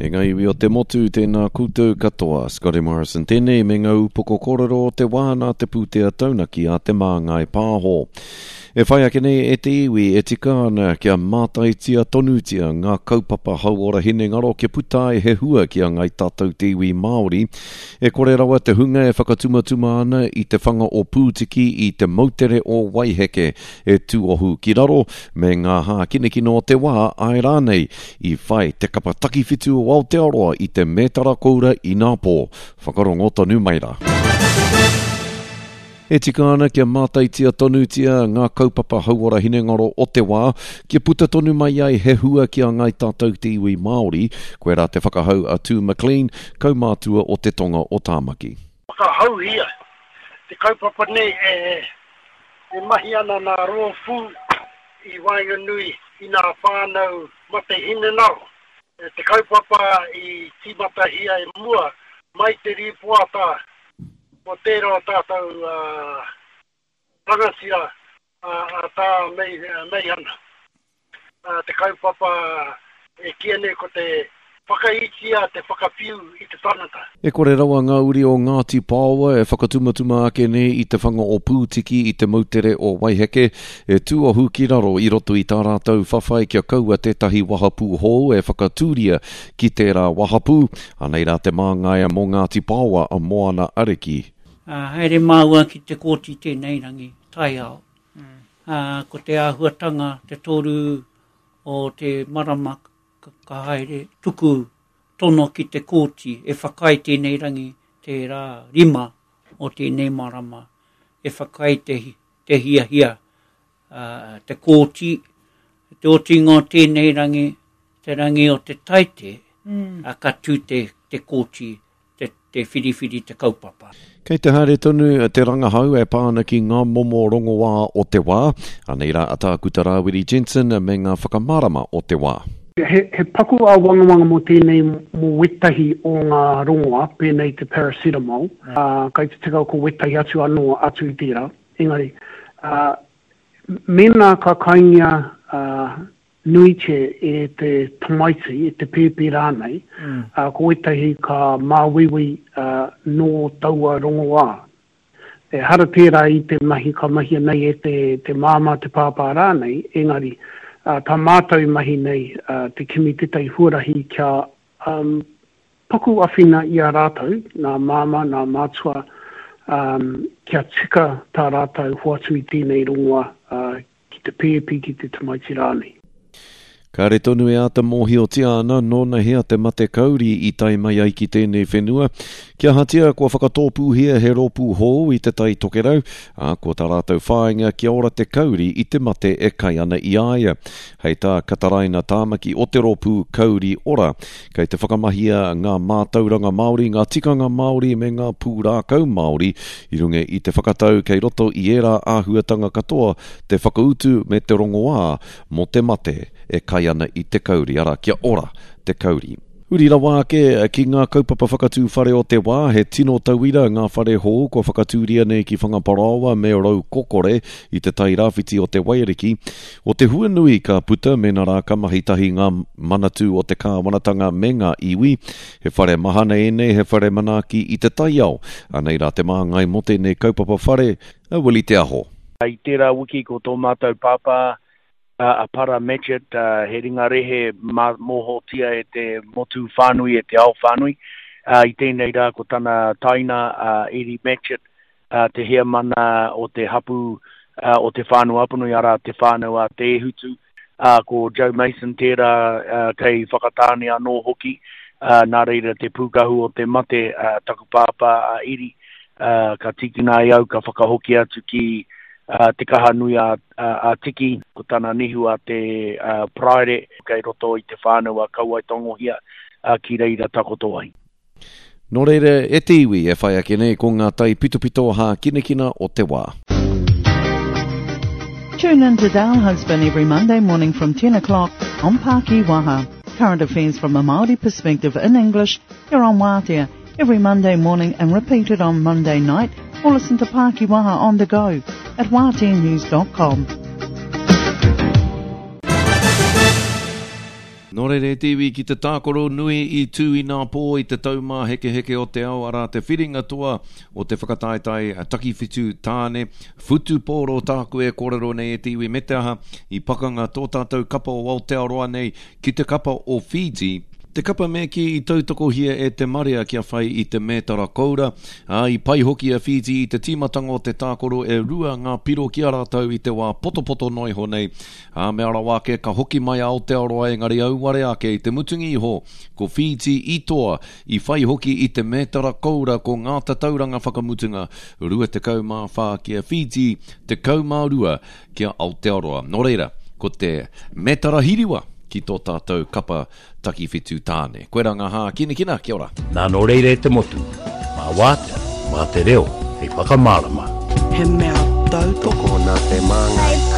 E ngā iwi o te motu, tēnā koutou katoa. Scotty Morrison tēnei me ngā upoko kōrero o te wā nā te pūtea taunaki a Te Māngai Pāho. E whai ake nei e te iwi e tika ana kia mātaitia tonutia ngā kaupapa hauora hinengaro kia puta ai he hua ki a ngai tātou te iwi Māori. E kore rawa te hunga e whakatumatuma ana i te whanga o Pūtiki i te moutere o Waiheke e tūohu ki raro me ngā hākinakina o te wā, āe rānei, i whai te kapa takiwhitu o Aotearoa i te mētara koura inapō. Whakarongo tonu mai rā. E tika ana kia mātaitia tonutia ngā kaupapa hauora hinengaro o te wā, kia puta tonu mai ai he hua ki a ngāi tātou te iwi Māori, koirā te whakahau a Tū McLean, kaumātua o te tonga o Tāmaki. Whakahauhia te kaupapa nei e mahi ana nā rōpū i waenganui i nā whānau mate hinengaro. Te kaupapa i tīmatahia i mua mai te rīpoata o tērā o tātou rangatira a Tā Meihana. Te kaupapa e kīia nei ko te whakaitia te whakawhiu i te tangata. E kore rawa ngā uri o Ngāti Paoa e whakatumatuma ake nei i te whanga o Pūtiki i te moutere o Waiheke, e tūohu ki raro i roto i tā rātou whawhai kia kaua tētahi wahapū hou e whakatūria ki tērā wahapū. Anei rā te māngaia mō Ngāti Paoa a Moana Ariki. Haere māua ki te kōti tēnei rangi, taiao. Ko te āhuatanga te toru o te marama ka haere tuku tono ki te kōti e whakaae tēnei rangi te rā rima o tēnei marama e whakaae te, te hiahia uh, te kōti te otinga o tēnei rangi te rangi o te taite mm. a, ka tū te, te kōti te, te whiriwhiri te kaupapa. Kei te haere tonu te rangahau e pā ana ki ngā momo rongoā o te wā. Anei rā a Tākuta Rāwiri Jensen me ngā whakamārama o te wā. He, he paku āwangawanga mō tēnei mō wētahi o ngā rongoā, pēnei te paracetamol, ā, kai te tika ko wētahi atu anō atu i tērā. Engari, ā, mēnā ka kaingia, ā, nuitia e te tamaiti, e te pēpi rānei, ā, ko ētahi ka māuiui nō taua rongoā. Ehara tērā i te mahi ka mahia nei e te, te māmā, te pāpā rānei, engari, ā, tā mātou i mahi nei, ā, te kimi tētahi huarahi kia, um, paku awhina i a rātou, nā māmā, nā mātua, um, kia tika tā rātou hoatu i tēnei rongoā, ā, ki te pēpi, ki te tamaiti rānei. Kāre tonu e āta mōhiotia ana nōnahea te mate kauri i tae mai ai ki tēnei whenua. Kia ahatia kua whakatōpūhia he rōpū hou i Te Tai Tokerau, ā, ko tā rātou whāinga kia ora te kauri i te mate e kai ana i a ia. Hei tā Kataraina Tāmaki o te rōpū Kauri Ora, kei te whakamahia ngā mātauranga Māori, ngā tikanga Māori me ngā pūrākau Māori i runga i te whakatau kei roto i ērā āhuatanga katoa te whakautu me te rongoā mō te mate e kai ana i te kauri, arā, kia ora te kauri. Huri rawa ake ki ngā kaupapa whakatū whare o te wā, he tino tauira ngā whare hou kua whakatūria nei ki Whangaparaoa me Raukokore i te tai rāwhiti o te Waiariki. O te hua nui ka puta mēnā rā ka mahi tahi ngā manatū o te kāwanatanga me ngā iwi. He whare mahana ēnei, he whare manaaki i te taiao. Anei rā te māngai mō tēnei kaupapa whare, a Willie Te Aho. I tērā wiki ko tō mātou pāpā a Para Matchitt, he ringa rehe mōhiotia e te motu whānui, e te ao whānui. I tēnei rā ko tana taina a Eddie Matchitt, te heamana o te hapū o Te Whānau-a-Apanui, arā, Te Whānau a Te Ēhutu. Ā, ko Joe Mason tērā kei Whakatāne anō hoki, ā, nā reira te pūkahu o te mate, ā, taku pāpā a Iri, ā, ka tīkina e au ka whakahoki atu ki, ā, Te Kahanui a, a, a Tiki, ko tana nihu a te, ā, Paraire, kei roto i te whānau a Kauaetangohia, ā, ki reira takoto ai. Nō reira, e te iwi e whai ake nei ko ngā taipitopito hākinakina o te wā. Tune in to Dale Husband every Monday morning from 10 o'clock on Paki Waha. Current affairs from a Māori perspective in English here on Wātea every Monday morning and repeated on Monday night or listen to Paki Waha on the go at wāteanews.com. Nō reira e te iwi ki te tākaro nui i tū inapō i te taumāhekeheke o te ao arā te whiringa toa o te whakataetae takiwhitu tāne whutupōro tāku e kōrero nei e te iwi me te aha i pakanga tō tātou kapa o Aotearoa nei ki te kapa o Fiji, te kapa me kī i tautokohia e te marea kia whai i te mētara koura, ā, i pai hoki a Fiji i te tīmatanga o te tākaro e rua ngā piro ki a rātou i te wā potopoto noa iho nei, ā, mea rawa ake ka hoki mai a Aotearoa engari auare ake i te mutunga iho ko Fiji i toa, i whai hoki i te mētara koura ko ngā tatauranga whakamutunga 24 ki a Fiji, 12 ki a Aotearoa. Nō reira, ko te mētara hiriwa ki tō tātou kapa takiwhitu tāne. Koirā ngā hākinakina, kia ora. Nā nō reira e te motu, mā Wātea, mā te reo hei whakamārama. He mea tautoko nā te Māngai.